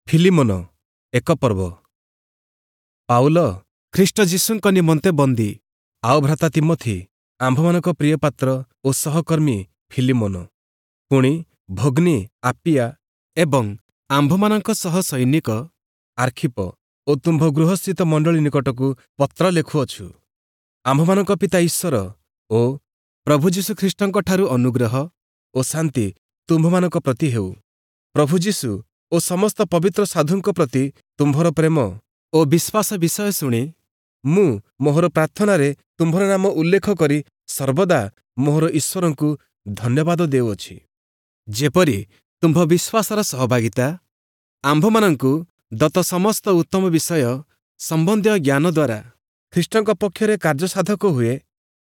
ଫିଲିମୋନ ଏକ ପର୍ବ। ପାଉଲ ଖ୍ରୀଷ୍ଟ ଯୀଶୁଙ୍କ ନିମନ୍ତେ ବନ୍ଦୀ, ଆଉ ଭ୍ରାତା ତୀମଥି, ଆମ୍ଭମାନଙ୍କ ପ୍ରିୟ ପାତ୍ର ଓ ସହକର୍ମୀ ଫିଲିମୋନ, ପୁଣି ଭଗ୍ନୀ ଆପିଆ ଏବଂ ଆମ୍ଭମାନଙ୍କ ସହ ସୈନିକ ଆର୍ଖିପ ଓ ତୁମ୍ଭ ଗୃହସ୍ଥିତ ମଣ୍ଡଳୀ ନିକଟକୁ ପତ୍ର ଲେଖୁଅଛୁ। ଆମ୍ଭମାନଙ୍କ ପିତା ଈଶ୍ୱର ଓ ପ୍ରଭୁ ଯୀଶୁ ଖ୍ରୀଷ୍ଟଙ୍କଠାରୁ ଅନୁଗ୍ରହ ଓ ଶାନ୍ତି ତୁମ୍ଭମାନଙ୍କ ପ୍ରତି ହେଉ। ପ୍ରଭୁ ଯୀଶୁ ଓ ସମସ୍ତ ପବିତ୍ର ସାଧୁଙ୍କ ପ୍ରତି ତୁମ୍ଭର ପ୍ରେମ ଓ ବିଶ୍ୱାସ ବିଷୟ ଶୁଣି ମୁଁ ମୋହର ପ୍ରାର୍ଥନାରେ ତୁମ୍ଭର ନାମ ଉଲ୍ଲେଖ କରି ସର୍ବଦା ମୋହର ଈଶ୍ୱରଙ୍କୁ ଧନ୍ୟବାଦ ଦେଉଅଛି, ଯେପରି ତୁମ୍ଭ ବିଶ୍ୱାସର ସହଭାଗିତା ଆମ୍ଭମାନଙ୍କୁ ଦତ୍ତ ସମସ୍ତ ଉତ୍ତମ ବିଷୟ ସମ୍ବନ୍ଧୀୟ ଜ୍ଞାନ ଦ୍ୱାରା ଖ୍ରୀଷ୍ଟଙ୍କ ପକ୍ଷରେ କାର୍ଯ୍ୟସାଧକ ହୁଏ।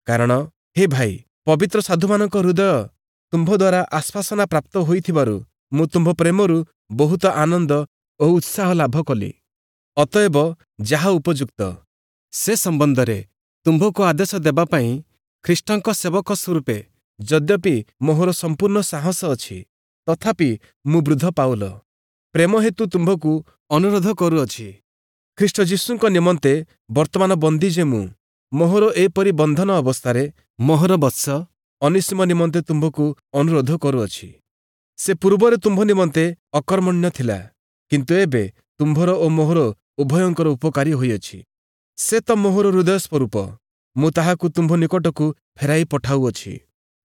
କାରଣ ହେ ଭାଇ, ପବିତ୍ର ସାଧୁମାନଙ୍କ ହୃଦୟ ତୁମ୍ଭ ଦ୍ୱାରା ଆଶ୍ୱାସନା ପ୍ରାପ୍ତ ହୋଇଥିବାରୁ ମୁଁ ତୁମ୍ଭ ପ୍ରେମରୁ ବହୁତ ଆନନ୍ଦ ଓ ଉତ୍ସାହ ଲାଭ କଲି। ଅତଏବ ଯାହା ଉପଯୁକ୍ତ, ସେ ସମ୍ବନ୍ଧରେ ତୁମ୍ଭକୁ ଆଦେଶ ଦେବା ପାଇଁ ଖ୍ରୀଷ୍ଟଙ୍କ ସେବକ ସ୍ୱରୂପେ ଯଦ୍ୟପି ମୋହର ସମ୍ପୂର୍ଣ୍ଣ ସାହସ ଅଛି, ତଥାପି ମୁଁ ବୃଦ୍ଧ ପାଉଲ ପ୍ରେମ ହେତୁ ତୁମ୍ଭକୁ ଅନୁରୋଧ କରୁଅଛି। ଖ୍ରୀଷ୍ଟ ଯୀଶୁଙ୍କ ନିମନ୍ତେ ବର୍ତ୍ତମାନ ବନ୍ଦୀ ଯେ ମୁଁ, ମୋହର ଏପରି ବନ୍ଧନ ଅବସ୍ଥାରେ ମୋହର ବତ୍ସ ଅନିସୀମ ନିମନ୍ତେ ତୁମ୍ଭକୁ ଅନୁରୋଧ କରୁଅଛି। ସେ ପୂର୍ବରେ ତୁମ୍ଭ ନିମନ୍ତେ ଅକର୍ମଣ୍ୟ ଥିଲା, କିନ୍ତୁ ଏବେ ତୁମ୍ଭର ଓ ମୋହର ଉଭୟଙ୍କର ଉପକାରୀ ହୋଇଅଛି। ସେ ତ ମୋହର ହୃଦୟ ସ୍ୱରୂପ, ମୁଁ ତାହାକୁ ତୁମ୍ଭ ନିକଟକୁ ଫେରାଇ ପଠାଉଅଛି।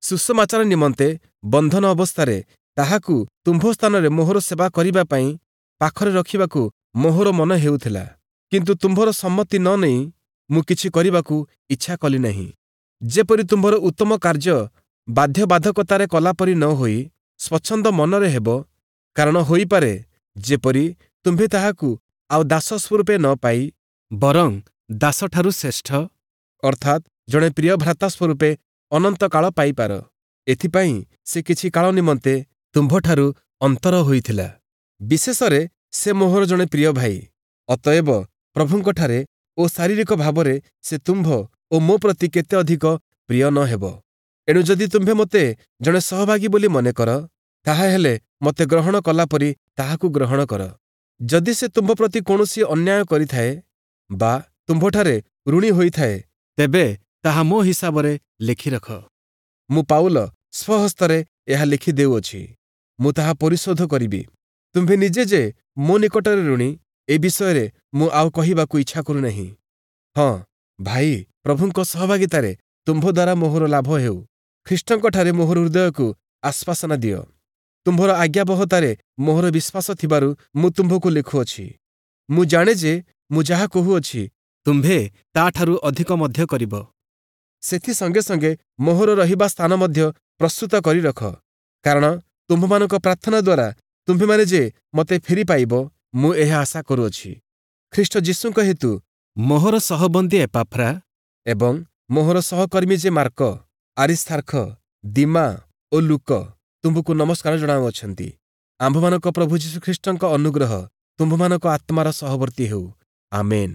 ସୁସମାଚାର ନିମନ୍ତେ ବନ୍ଧନ ଅବସ୍ଥାରେ ତାହାକୁ ତୁମ୍ଭ ସ୍ଥାନରେ ମୋହର ସେବା କରିବା ପାଇଁ ପାଖରେ ରଖିବାକୁ ମୋହର ମନ ହେଉଥିଲା, କିନ୍ତୁ ତୁମ୍ଭର ସମ୍ମତି ନ ନେଇ ମୁଁ କିଛି କରିବାକୁ ଇଚ୍ଛା କଲି ନାହିଁ, ଯେପରି ତୁମ୍ଭର ଉତ୍ତମ କାର୍ଯ୍ୟ ବାଧ୍ୟବାଧକତାରେ କଲାପରି ନ ହୋଇ ସ୍ୱଚ୍ଛନ୍ଦ ମନରେ ହେବ। କାରଣ ହୋଇପାରେ ଯେପରି ତୁମ୍ଭେ ତାହାକୁ ଆଉ ଦାସ ସ୍ୱରୂପେ ନ ପାଇ ବରଂ ଦାସଠାରୁ ଶ୍ରେଷ୍ଠ, ଅର୍ଥାତ୍ ଜଣେ ପ୍ରିୟ ଭ୍ରାତା ସ୍ୱରୂପେ ଅନନ୍ତକାଳ ପାଇପାର। ଏଥିପାଇଁ ସେ କିଛି କାଳ ନିମନ୍ତେ ତୁମ୍ଭଠାରୁ ଅନ୍ତର ହୋଇଥିଲା। ବିଶେଷରେ ସେ ମୋହର ଜଣେ ପ୍ରିୟ ଭାଇ, ଅତଏବ ପ୍ରଭୁଙ୍କଠାରେ ଓ ଶାରୀରିକ ଭାବରେ ସେ ତୁମ୍ଭ ଓ ମୋ ପ୍ରତି କେତେ ଅଧିକ ପ୍ରିୟ ନ ହେବ। ଏଣୁ ଯଦି ତୁମ୍ଭେ ମୋତେ ଜଣେ ସହଭାଗୀ ବୋଲି ମନେ କର, ତାହାହେଲେ ମୋତେ ଗ୍ରହଣ କଲାପରି ତାହାକୁ ଗ୍ରହଣ କର। ଯଦି ସେ ତୁମ୍ଭ ପ୍ରତି କୌଣସି ଅନ୍ୟାୟ କରିଥାଏ ବା ତୁମ୍ଭଠାରେ ଋଣୀ ହୋଇଥାଏ, ତେବେ ତାହା ମୋ ହିସାବରେ ଲେଖିରଖ। ମୁଁ ପାଉଲ ସ୍ୱହସ୍ତରେ ଏହା ଲେଖି ଦେଉଅଛି, ମୁଁ ତାହା ପରିଶୋଧ କରିବି। ତୁମ୍ଭେ ନିଜେ ଯେ ମୋ ନିକଟରେ ଋଣୀ, ଏ ବିଷୟରେ ମୁଁ ଆଉ କହିବାକୁ ଇଚ୍ଛା କରୁନାହିଁ। ହଁ ଭାଇ, ପ୍ରଭୁଙ୍କ ସହଭାଗିତାରେ ତୁମ୍ଭ ଦ୍ୱାରା ମୋହର ଲାଭ ହେଉ। ଖ୍ରୀଷ୍ଟଙ୍କଠାରେ ମୋହର ହୃଦୟକୁ ଆଶ୍ୱାସନା ଦିଅ। ତୁମ୍ଭର ଆଜ୍ଞାବହତାରେ ମୋହର ବିଶ୍ୱାସ ଥିବାରୁ ମୁଁ ତୁମ୍ଭକୁ ଲେଖୁଅଛି। ମୁଁ ଜାଣେ ଯେ ମୁଁ ଯାହା କହୁଅଛି, ତୁମ୍ଭେ ତାଠାରୁ ଅଧିକ ମଧ୍ୟ କରିବ। ସେଥି ସଙ୍ଗେ ସଙ୍ଗେ ମୋହର ରହିବା ସ୍ଥାନ ମଧ୍ୟ ପ୍ରସ୍ତୁତ କରି ରଖ, କାରଣ ତୁମ୍ଭମାନଙ୍କ ପ୍ରାର୍ଥନା ଦ୍ୱାରା ତୁମ୍ଭେମାନେ ଯେ ମୋତେ ଫେରି ପାଇବ, ମୁଁ ଏହା ଆଶା କରୁଅଛି। ଖ୍ରୀଷ୍ଟ ଯୀଶୁଙ୍କ ହେତୁ ମୋହର ସହବନ୍ଦୀ ଏପାଫ୍ରା ଏବଂ ମୋହର ସହକର୍ମୀ ଯେ ମାର୍କ, ଆରିସ୍ତାର୍ଖ, ଦିମା ଓ ଲୁକ ତୁମ୍ଭକୁ ନମସ୍କାର ଜଣାଉଅଛନ୍ତି। ଆମ୍ଭମାନଙ୍କ ପ୍ରଭୁ ଯୀଶୁଖ୍ରୀଷ୍ଟଙ୍କ ଅନୁଗ୍ରହ ତୁମ୍ଭମାନଙ୍କ ଆତ୍ମାର ସହବର୍ତ୍ତୀ ହେଉ। ଆମେନ୍।